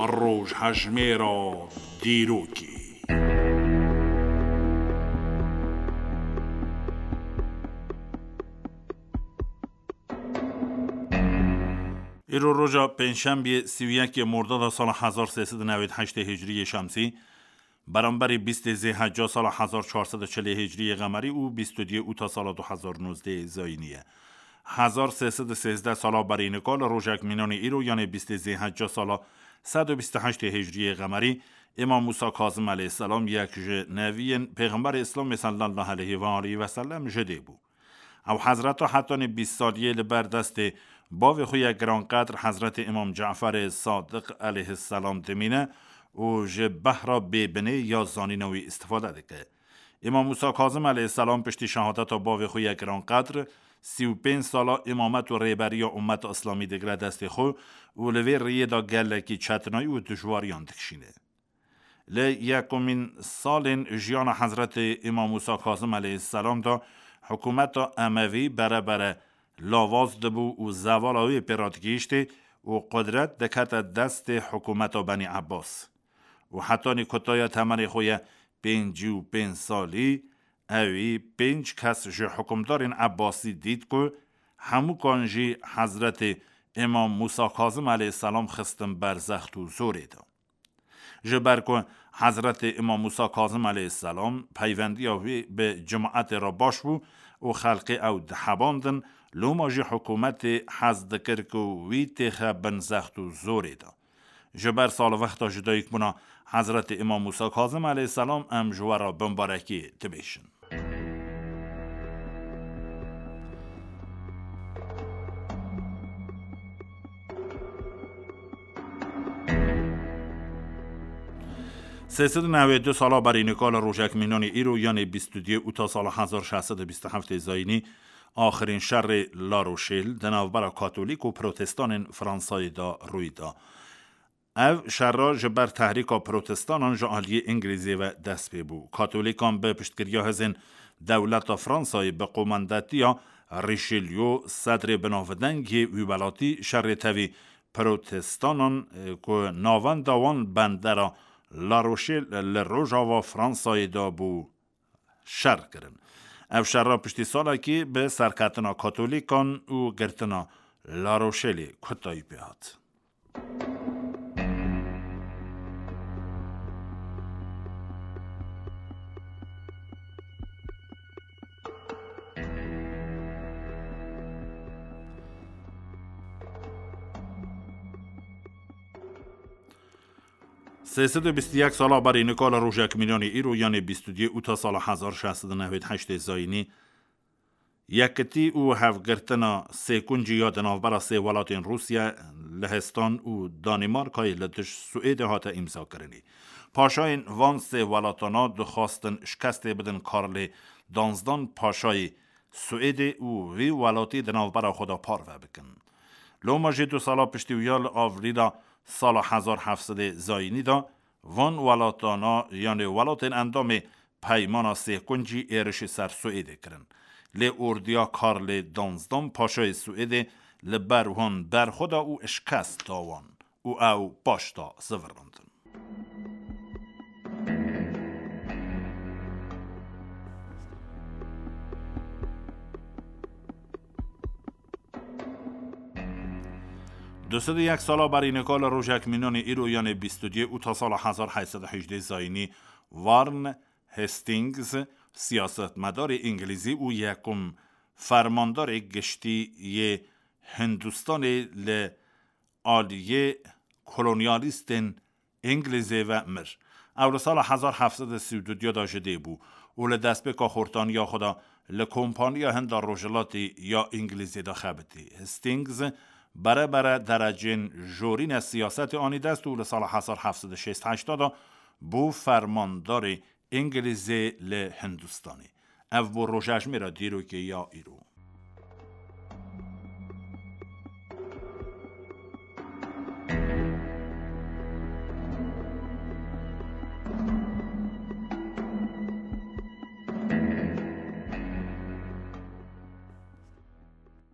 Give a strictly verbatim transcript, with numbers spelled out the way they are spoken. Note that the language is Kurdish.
Rojhejmêra dîrokê. Îro roja pêncşembiyê sî û yekê Mordada sala hezar sê sed û newêd heştê Hicriyê Şemsî, beramberî bîstê Zêhecca sala hezar çar sed û çilê Hicriyê Qemerî û bîst û duyê Ûta sala du hezar nozdehê Zayînî ye. Hezar sê sed û sêzdeh sala berî nika li rojek mînanê îro, yanê bîstê Zêhecca sala sed û bîst û heştê Hicriyê Qemerî, Îmam Mûsa Kazim aleyhisselam, yek ji neviyên Pêxemberê Îslamê sallallahu aleyhi ve aleyhi ve sellem, ji dê bû. Ew hezreta hetanî bîst saliyê li ber destê bavê xwe ya giranqedr Hezretê Îmam Caferê Sadiq aleyhisselam dimîne û ji behra bêbinê ya zanîna wî îstifade dike. Îmam Mûsa Kazim aleyhisselam piştî şehadeta bavê xwe ya giranqedr, sî û pênc sala îmamet û rêberiya ummeta Îslamî digire destê xwe û li vê riyê de gelekî çetinayî û dijwariyan dikişîne. Li yekumîn salên jiyana Hezretê Îmam Mûsa Kazim aleyhisselam de hikûmeta Emevî bere bere lawaz dibû û zevala wê pê re digihîştê û qudret dikete destê hikûmeta Benî Ebbas. Û hetanî kutaya temenê xwe ye pêncî û pênc salî, ewî pênc kes ji hikûmdarên Ebbasî dît ku hemûkan jî Hezretê Îmam Mûsa Kazim aleyhisselam xistin ber zext û zorê de. Ji ber ku Hezretê Îmam Mûsa Kazim aleyhisselam peyvendiya wî bi cimaetê re baş bû û xelkê ew dihebandin, loma jî hikûmetê hez dikir ku wî têxe bin zext û zorê de. Ji ber salvexta jidayîkbûna Hezretê Îmam Mûsa Kazim aleyhisselam em ji we re bimbarekî dibêjin. Sê sed û newêd û du sala berî nika li rojek mînanê îro, yanê bîst û duyê Ûta sala hezar şeş sed û bîst û heftê Zayînî, axirîn şerê La Rochelle di navbera Katolîk û Protestanên Fransayê de rûy da. Ev şera ji ber tehrîka Protestanan ji aliyê Îngilîzê ve dest pê bû. Katolîkan bi piştgiriya hêzên dewleta Fransayê bi qomandetiya Richelieu, sedrê binavdeng yê wî welatî, şerê tevî Protestanan, e, ku navenda wan bendera La Rochelle li rojava Fransayê de bû, şer kirin. Ev şera piştî salekî bi serketina Katolîkan û girtina La Rochelle-ê kutayî pê hat. Sê sed û bîst û yek sala berî nika li rojek mînanê îro, yanê bîst û duyê Ûta sala hezar şeş sed û newêd heştê Zayînî, yekitî û hevgirtina sêkuncî ya di navbera sê welatên Rûsya, Lihestan û Danîmarkayê li dij Swêdê hate îmzakirinê. Paşayên van sê welatana dixwastin şikestê bidin Karlê danzdan Paşayê Swêdê û vî welatî di navbera xwe de parve bikin. Loma jî du sala piştî wiya, li Avrîla sala hezar heft sedê Zayînî de, van welatana, yanê welatên endamê Peymana Sêkuncî, êrişî ser Swêdê kirin. Lê ordiya Karlê danzdan Paşayê Swêdê li ber wan berxwe da û şikest da wan û ew paş da zivirandin. Du sed û yek sala berî nika li rojek mînanê îro, yanê bîst û duyê Ûta sala hezar heyt sed û hejdê Zayînî, Warren Hastings, siyasetmedarê îngilîzî û yekum fermandarê giştî yê Hindistanê li aliyê kolonyalîstên Îngilîzê ve mir. Ew li sala hezar heft sed û sî û du de ji dê bû û li destpêka xortaniya xwe de li Kompaniya Hinda Rojhilatî ya Îngilîzê de xebitî. Hastings bere bere derecên jorîne siyasetê anî dest û li sala hezar heft sed û şêst heşt de bû fermandarê Îngilîzê li Hindistanê. Ev bû rojejmêra dîrokê ya îro.